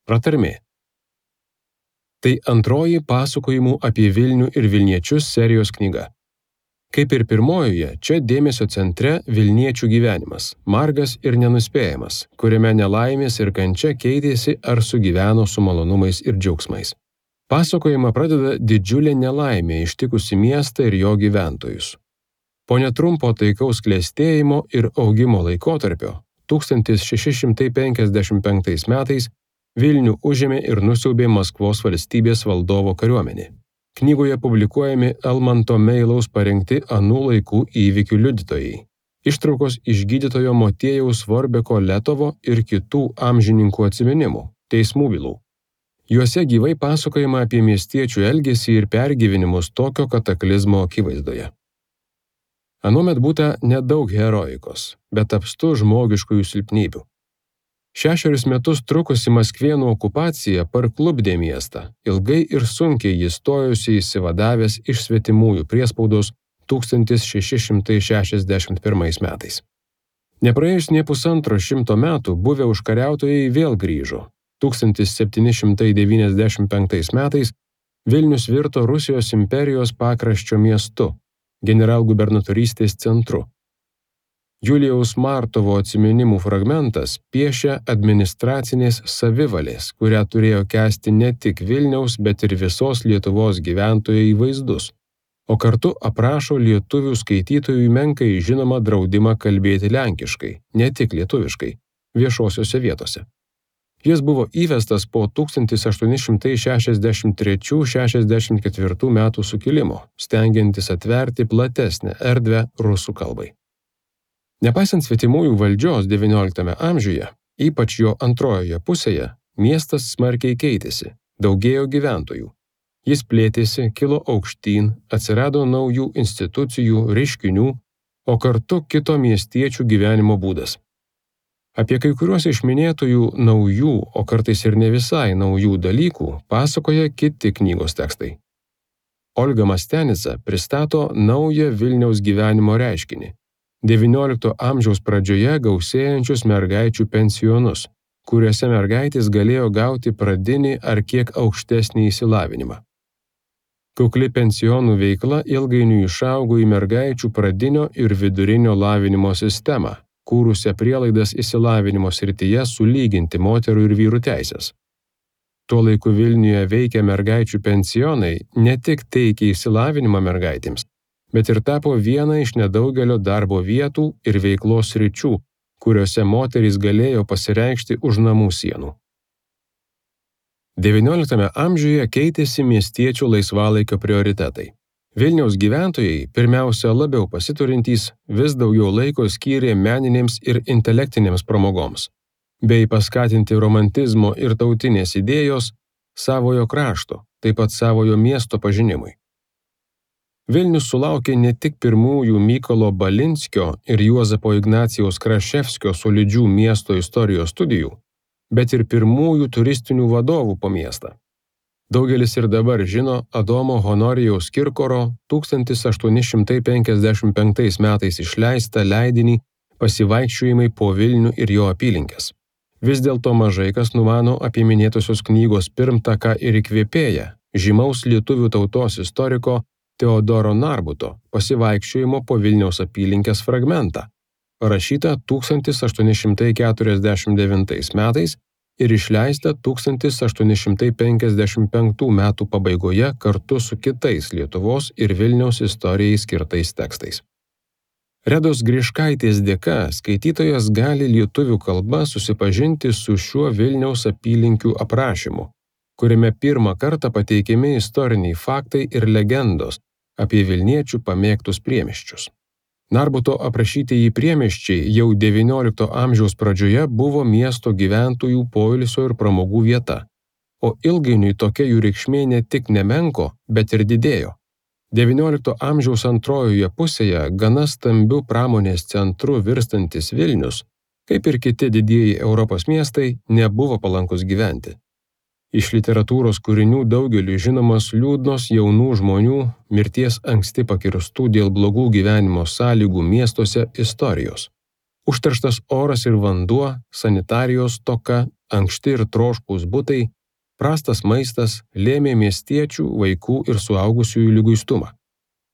Pratarmė. Tai antroji pasakojimų apie Vilnių ir Vilniečius serijos knyga. Kaip ir pirmojoje, čia dėmesio centre Vilniečių gyvenimas, margas ir nenuspėjamas, kuriame nelaimės ir kančia keitėsi ar sugyveno su malonumais ir džiaugsmais. Pasakojimą pradeda didžiulė nelaimė ištikusi miestą ir jo gyventojus. Po netrumpo taikaus klestėjimo ir augimo laikotarpio 1655 metais Vilnių užėmė ir nusiaubė Maskvos valstybės valdovo kariuomenė. Knygoje publikuojami Almanto Meilaus parengti anų laikų įvykių liudytojai. Ištraukos iš gydytojo Motiejaus Vorbeko Letovo ir kitų amžininkų atsiminimų, teismų bylų. Juose gyvai pasakojama apie miestiečių elgesį ir pergyvenimus tokio kataklizmo akivaizdoje. Anuomet būta nedaug heroikos, bet apstu žmogiškųjų silpnybių. 6 metus trukusi Maskvėnų okupacija parklupdė miestą, ilgai ir sunkiai jis stojosi įsivadavęs iš svetimųjų priespaudos 1661 metais. Nepraėjus nė pusantro šimto metų buvę užkariautojai vėl grįžo. 1795 metais Vilnius virto Rusijos imperijos pakraščio miestu, generalgubernatorystės centru. Julijaus Martovo atsiminimų fragmentas piešia administracinės savivalės, kurią turėjo kęsti ne tik Vilniaus, bet ir visos Lietuvos gyventojai vaizdus, o kartu aprašo lietuvių skaitytojui menkai žinomą draudimą kalbėti lenkiškai, ne tik lietuviškai, viešosiose vietose. Jis buvo įvestas po 1863–64 metų sukilimo, stengiantis atverti platesnę erdvę rusų kalbai. Nepaisant svetimųjų valdžios XIX amžiuje, ypač jo antrojoje pusėje, miestas smarkiai keitėsi, daugėjo gyventojų. Jis plėtėsi, kilo aukštyn, atsirado naujų institucijų, reiškinių, o kartu kito miestiečių gyvenimo būdas. Apie kai kuriuos iš minėtųjų naujų, o kartais ir ne visai naujų dalykų pasakoja kiti knygos tekstai. Olga Mastianica pristato naują Vilniaus gyvenimo reiškinį. XIX amžiaus pradžioje gausėjančius mergaičių pensionus, kuriuose mergaitės galėjo gauti pradinį ar kiek aukštesnį išsilavinimą. Kukli pensionų veikla ilgainiui išaugo į mergaičių pradinio ir vidurinio lavinimo sistemą, kūrusią prielaidas išsilavinimo srityje sulyginti moterų ir vyrų teisės. Tuo laiku Vilniuje veikę mergaičių pensionai ne tik teikė išsilavinimą mergaitėms, bet ir tapo viena iš nedaugelio darbo vietų ir veiklos sričių, kuriuose moterys galėjo pasireikšti už namų sienų. XIX amžiuje keitėsi miestiečių laisvalaikio prioritetai. Vilniaus gyventojai, pirmiausia labiau pasiturintys, vis daugiau laiko skyrė meninėms ir intelektinėms pramogoms, bei paskatinti romantizmo ir tautinės idėjos savojo krašto, taip pat savojo miesto pažinimui. Vilnius sulaukė ne tik pirmųjų Mykolo Balinskio ir Juozapo Ignacijaus Kraševskio solidžių miesto istorijos studijų, bet ir pirmųjų turistinių vadovų po miestą. Daugelis ir dabar žino Adomo Honorijaus Kirkoro 1855 metais išleistą leidinį Pasivaikščiojimai po Vilnių ir jo apylinkes. Vis dėlto mažai kas numano apie minėtosios knygos pirmtaką ir įkvėpėją, žymaus lietuvių tautos istoriko Teodoro Narbuto Pasivaikščiojimo po Vilniaus apylinkės fragmentą, parašytą 1849 metais ir išleistą 1855 metų pabaigoje kartu su kitais Lietuvos ir Vilniaus istorijai skirtais tekstais. Redos Griškaitės dėka skaitytojas gali lietuvių kalba susipažinti su šiuo Vilniaus apylinkių aprašymu, kuriame pirmą kartą pateikiami istoriniai faktai ir legendos apie Vilniečių pamėgtus priemiesčius. Narbuto aprašytieji priemiesčiai jau XIX amžiaus pradžioje buvo miesto gyventojų poilsio ir pramogų vieta, o ilgainiui tokia jų reikšmė ne tik nemenko, bet ir didėjo. XIX amžiaus antrojoje pusėje gana stambių pramonės centrų virstantis Vilnius, kaip ir kiti didieji Europos miestai, nebuvo palankus gyventi. Iš literatūros kūrinių daugeliui žinomas liūdnos jaunų žmonių, mirties anksti pakirstų dėl blogų gyvenimo sąlygų miestuose istorijos. Užterštas oras ir vanduo, sanitarijos stoka, ankšti ir troškūs butai, prastas maistas lėmė miestiečių, vaikų ir suaugusiųjų liguistumą.